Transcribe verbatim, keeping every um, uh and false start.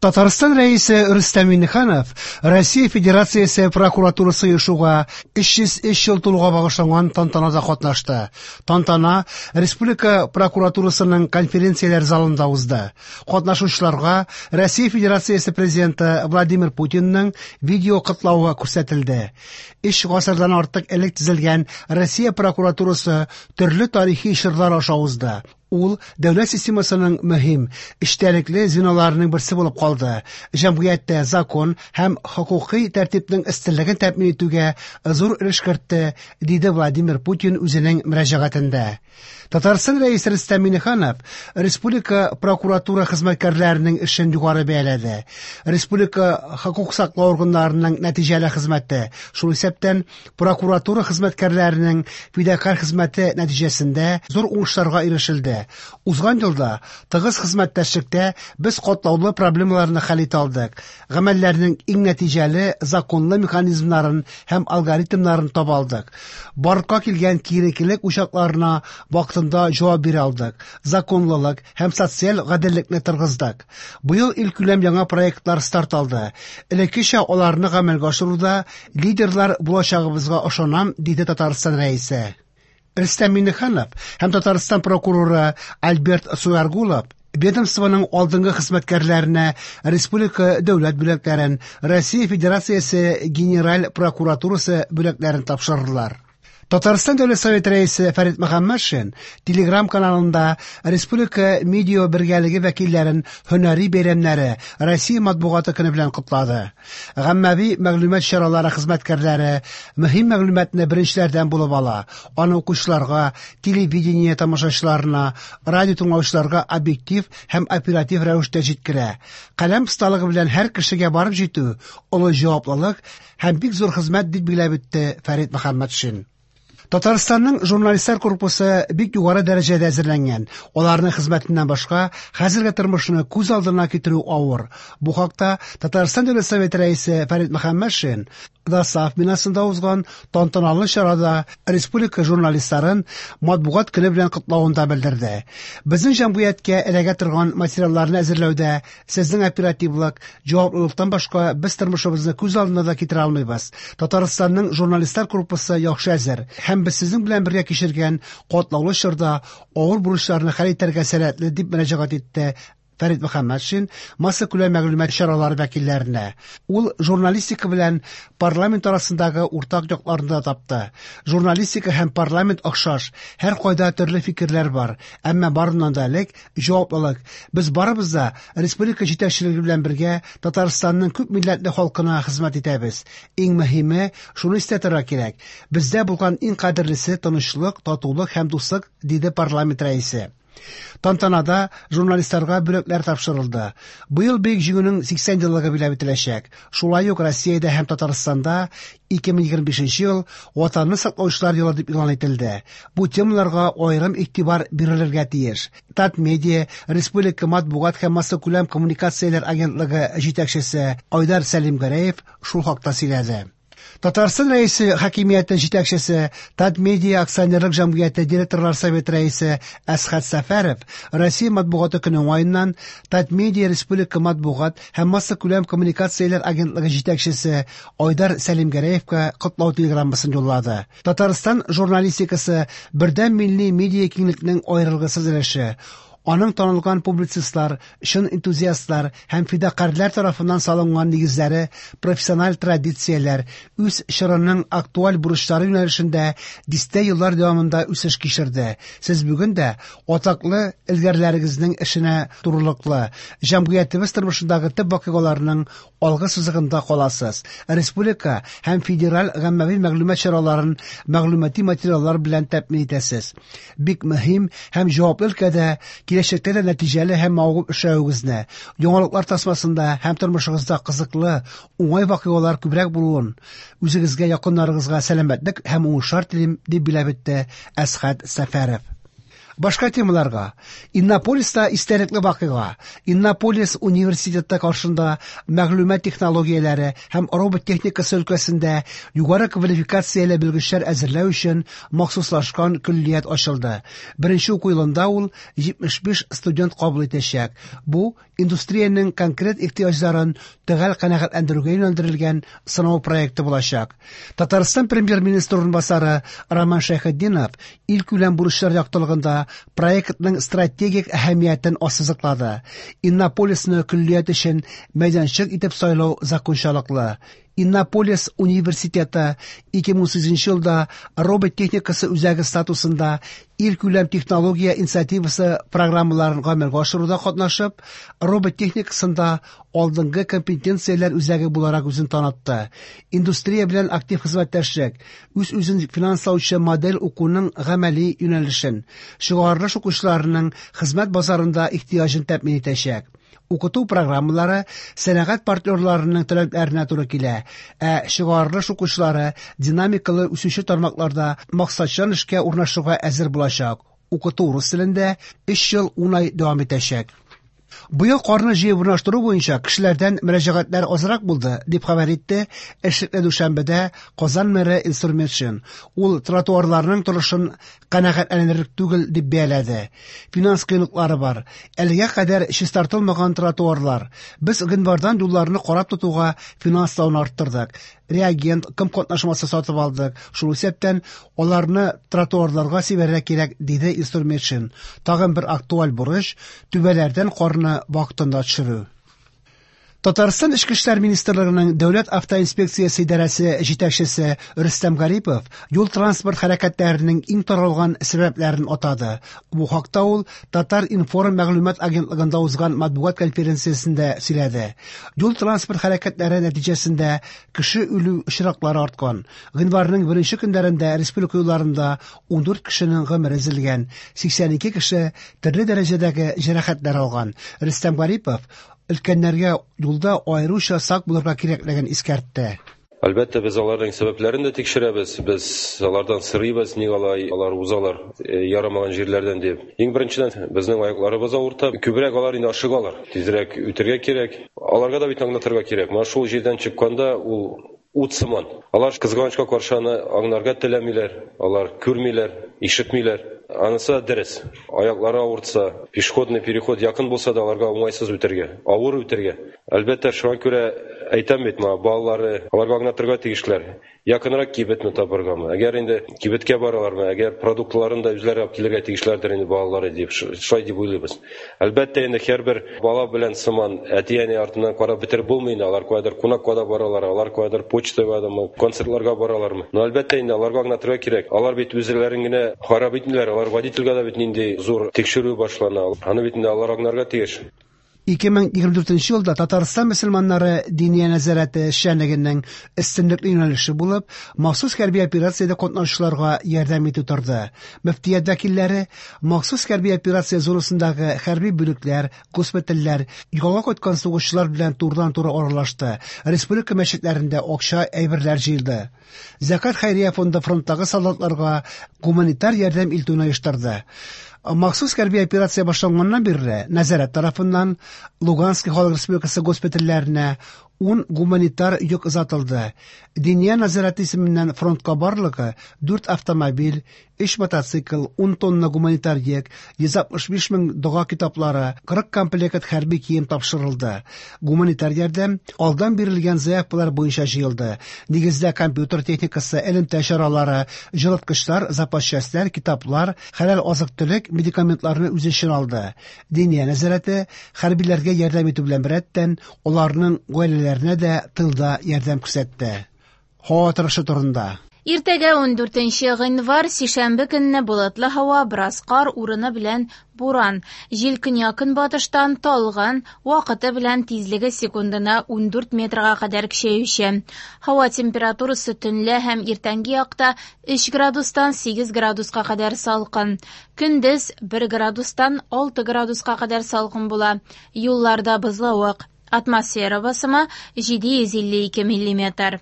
Татарстан Рәисе Рөстәм Миңнеханов Россия Федерациясе прокуратурасы оешуга өч йөз өч ел тулуга багышланган тантанада катнашты. Тантана Республика прокуратурасының конференцияләр залында узды. Катнашучыларга Россия Федерациясе президенты Владимир Путинның видео котлавы күрсәтелде. Өч гасырдан артык элек төзелгән Россия прокуратурасы төрле тарихи чорлар аша узды. Ул дәүләт системасының мөһим, эчтәлекле звеноларының берсе булып калды. Җәмгыятьтә закон һәм хокукый тәртипнең өстенлеген тәэмин итүгә зур өлеш кертте, диде Владимир Путин үзенең мөрәҗәгатендә. Татарстан Рәисе Рөстәм Миңнеханов республика прокуратура хезмәткәрләренең эшен югары бәяләде. Республика хокук саклау органнарының нәтиҗәле хезмәте, шул исәптән прокуратура хезмәткәрләренең фидакарь хезмәте нәтиҗәсендә зур уңышларга ирешелде. Узган елда тыгыз хезмәттәшлектә без катлаулы проблемаларны хәл итә алдык. Гамәлләрнең иң нәтиҗәле законлы механизмнарын һәм алгоритмнарын таба алдык. Барлыкка килгән киеренкелек учакларына вакытында җавап бирә алдык. Законлылык һәм социаль гаделлекне торгыздык. Быел илкүләм яңа проектлар старт алды. Элеккечә аларны гамәлгә ашыруда лидерлар булачагыбызга ышанам, диде Татарстан Рәисе. Рөстәм Миңнеханов һәм Татарстан прокуроры Альберт Суяргулов ведомствоның алдынгы хезмәткәрләренә республика дәүләт бүләкләрен, Россия Федерациясе Генераль прокуратурасы бүләкләрен тапшырдылар. Татарстан Дәүләт Советы рәисе Фәрит Мөхәммәтшин Телеграм каналында республика медиа бергәлеге вәкилләрен һөнәри бәйрәмнәре Россия матбугаты көне белән котлады. Гаммәви мәгълүмат чаралары хезмәткәрләре мөһим мәгълүматны беренчеләрдән булып ала. Аны укучыларга, телевидение тамашачыларына, радио тыңлаучыларга объектив һәм оператив рәвештә җиткерә. Каләм осталыгы белән һәр кешегә барып җитү олы җаваплылык һәм бик зур хезмәт, дип билгеләп үтте Фәрит Мөхәммәтшин. Татарстанның журналистлар корпусы бик югары дәрәҗәдә әзерләнгән. Аларның хезмәтеннән башка хәзерге тормышны күз алдына китерү авыр. Бу хакта Татарстан Дәүләт Советы рәисе Фәрит Мөхәммәтшин ДОСААФ бинасында узган тантаналы чарада республика журналистларын матбугат көне белән котлавында белдерде. Безнең җәмгыятькә эләгә торган материалларны әзерләүдә сезнең оперативлык, җаваплылыктан башка без тормышыбызны күз алдына да китерә алмыйбыз. Татарстанның журналистлар корпусы яхшы әзер һәм без сезнең белән бергә кичергән катлаулы чорда авыр бурычларны хәл итәргә сәләтле, дип мөрәҗәгать итте Фәрит Мөхәммәтшин массакүләм мәгълүмат чаралары вәкилләренә. Ул журналистика белән парламент арасындагы уртак якларны да тапты. Журналистика һәм парламент охшаш, һәр кайда төрле фикерләр бар, әмма барыннан да элек җаваплылык. Без барыбыз да республика җитәкчелеге белән бергә Татарстанның күп милләтле халкына хезмәт итәбез. Иң мөһиме, шуны истә тотарга кирәк. Бездә булган иң кадерлесе тынычлык, татулык һәм дуслык, диде парламент рәисе. Тантанада журналистларга бүләкләр тапшырылды. Быел Бөек Җиңүнең сиксән еллыгы билгеләп үтеләчәк. Шулай ук Россиядә һәм Татарстанда ике мең егерме бишенче ел Ватанны саклаучылар елы дип игълан ителде. Бу темаларга аерым игътибар бирелергә тиеш. Татмедиа Республика матбугат һәм массакүләм коммуникацияләр агентлыгы җитәкчесе Айдар Сәлимгәрәев шул хакта сөйләде. Татарстан Рәисе хакимияте җитәкчесе, Татмедиа акционерлык җәмгыяте директорлар советы рәисе Әсхәт Сәфәров Россия матбугаты көне уңаеннан Татмедиа Республика матбугат һәм массакүләм коммуникацияләр агентлыгы җитәкчесе Айдар Сәлимгәрәевка котлау телеграммасын юллады. Татарстан журналистикасы бердәм милли медиа киңлекнең аерылгысыз өлеше. Аның танылган публицистлар, чын энтузиастлар һәм фидакарьләр тарафыннан салынган нигезләре, профессиональ традицияләр, үз чорының актуаль бурычлары юнәлешендә дистә еллар дәвамында үсеш кичерде. Сез бүген дә атаклы элгәрләрегезнең эшенә турылыклы, җәмгыятебез тормышындагы төп вакыйгаларның алгы сызыгында каласыз. Республика һәм федераль гаммәви мәгълүмат чараларын мәгълүмати материаллар белән тәэмин итәсез. Бик мөһим һәм җаваплы өлкәдә киләчәктә дә нәтиҗәле һәм мавыгып эшләвегезне, яңалыклар тасмасында һәм тормышыгызда кызыклы, уңай вакыйгалар күбрәк булуын, үзегезгә, якыннарыгызга сәламәтлек һәм уңышлар телим, дип билгеләп үтте Әсхәт Сәфәров. Башка темаларга. Иннополиста истәлекле вакыйга. Иннополис университеты каршында мәгълүмат технологияләре һәм робот техникасы өлкәсендә югары квалификацияле белгечләр әзерләү өчен махсуслашкан көллият ачылды. Беренче уку елында ул җитмеш биш студент кабул итәчәк. Бу индустриянең конкрет ихтыяҗларын төгәл канәгатьләндерүгә юнәлдерелгән сынау проекты булачак. Татарстан премьер-министры урынбасары Роман Шәйхетдинов илкүләм бурычлар яктылыгында проектның стратегик әһәмиятен ассызыклады. Иннополисны көллият өчен мәйданчык итеп сайлау закончалыклы. Иннополис университеты ике мең унсигезенче елда робот техникасы үзәге статусында илкүләм технология инициативасы программаларын гамәлгә ашыруда катнашып, робот техникасында алдынгы компетенцияләр үзәге буларак үзен танытты. Индустрия белән актив хезмәттәшлек, үз-үзен финанслаучы модель укуның гамәли юнәлешен, чыгарылыш укучыларының хезмәт базарында ихтыяҗын тәэмин итәчәк. Укыту программалары сәнәгать партнерларының таләпләренә туры килә, ә чыгарылыш укучылары динамикалы үсүче тармакларда максатчан эшкә урнашуга әзер булачак. Укыту рус телендә өч ел ун ай дәвам итәчәк. Быел карны җыеп урнаштыру буенча кешеләрдән мөрәҗәгатьләр азрак булды, дип хәбәр итте эшлекле дүшәмбедә Казан мэры Илсур Метшин. Ул тротуарларның торышын канәгатьләнерлек түгел дип бәяләде. Финанс кыенлыклары бар. Әлегә кадәр чистартылмаган тротуарлар. Без гыйнвардан юлларны карап тотуга финанслауны арттырдык. Реагент, ком катнашмасы сатып алдык. Шул исәптән аларны тротуарларга сибәргә кирәк, диде Илсур Метшин. Тагын бер актуаль бурыч түбәләрдән карны вакытында төшерү. Татарстан Эчке эшләр министрлыгының Дәүләт автоинспекциясе идарәсе җитәкчесе Рөстәм Гарипов юл транспорт хәрәкәтләренең иң таралган сәбәпләрен атады. Бу хакта ул Татар-информ мәгълүмат агентлыгында узган матбугат конференциясендә сөйләде. Юл транспорт хәрәкәтләре нәтиҗәсендә кеше үлү очраклары арткан. Гыйнварның беренче көннәрендә республика юлларында ун дүрт кешенең гомере өзелгән, сиксән ике кеше төрле дәрәҗәдәге җәрәхәтләр алган. Рөстәм Гарипов өлкәннәргә юлда аеруча сак булырга кирәклеген искәртте. Әлбәттә, без аларның сәбәпләрен дә тикшерәбез, без алардан сорыйбыз, ник алай алар узалар ярамаган җирләрдән дип. Иң беренчедән, безнең аякларыбыз авырта, күбрәк алар инде ашыгалар, тизрәк үтәргә кирәк. Аларга да бит аңлатырга кирәк. Менә шул җирдән чыкканда ул ут сыман. Алар кызганычка каршы аны аңларга теләмиләр, алар күрмиләр, ишетмиләр. Анысы дөрес. Аяклары авыртса, пешеходный переход якын булса да аларга уңайсыз үтәргә, авыр үтәргә. Әлбәттә, шуңа күрә әйтәм бит, моңа балалары, аларга аңлатырга тиешләр. Якынрак кибетне табыргамы? Әгәр инде кибеткә баралармы, әгәр продуктларын да үзләре алып килергә тиешләрдер инде балалары дип, шулай дип уйлыйбыз. Әлбәттә, инде һәрбер бала белән сыман әти-әни артыннан карап бетереп булмый инде. Алар каядыр кунакка да баралар, алар каядыр почтага дамы, концертларга баралармы. Но әлбәттә инде аларга аңлатырга кирәк. Алар бит үзләрен генә харап итмиләр, алар водительгә дә бит нинди зур тикшерү башлана. Аны бит инде алар аңларга тиеш. Ике мең егерме дүртенче елда Татарстан мөселманнары Диния нәзарәте эшчәнлегенең өстенлекле юнәлеше булып, махсус хәрби операциядә катнашучыларга ярдәм итү торды. Мөфтият вәкилләре махсус хәрби операция зонасындагы хәрби бүлекләр, госпитальләр, ялга кайткан сугышчылар белән турыдан-туры аралашты. Республика мәчетләрендә акча әйберләр җыелды. Зәкат хәйрия фонды фронттагы солдатларга гуманитар ярдәм илтүне оештырды. Махсус хәрби операция башланганнан бирле нәзарәт тарафыннан Луганский халык республикасы госпитальләренә ун гуманитар йөк озатылды. Диния нәзарәте исеменнән фронтка барлыгы дүрт автомобиль, өч мотоцикл, ун тонна гуманитар йөк, йөз алтмыш биш мең дога китаплары, кырык комплект хәрби кием тапшырылды. Гуманитар ярдәм алдан бирелгән заявкалар буенча җыелды. Нигездә компьютер техникасы, элемтә чаралары, җылыткычлар, запас частьләр, китаплар, хәләл азык-төлек, медикаментларны үз эченә алды. Диния нәзарәте хәрбиләргә ярдәм итү белән беррәттән аларның гаиләләренә дә тылда ярдәм күрсәтте. Һава торышы турында. Иртәгә ун дүртенче гыйнвар сишәмбе көнне болытлы һава, бераз кар, урыны белән буран. Җил көньяк-көнбатыштан талгын, вакыты белән тизлеге секундына ун дүрт метрга кадәр көчәюче. Һава температурасы төнлә һәм иртәнге якта өч градустан сигез градуска кадәр салкын. Көндез бер градустан алты градуска кадәр салкын була. Юлларда бозлавык. Атмосфера басымы җиде йөз илле ике миллиметр.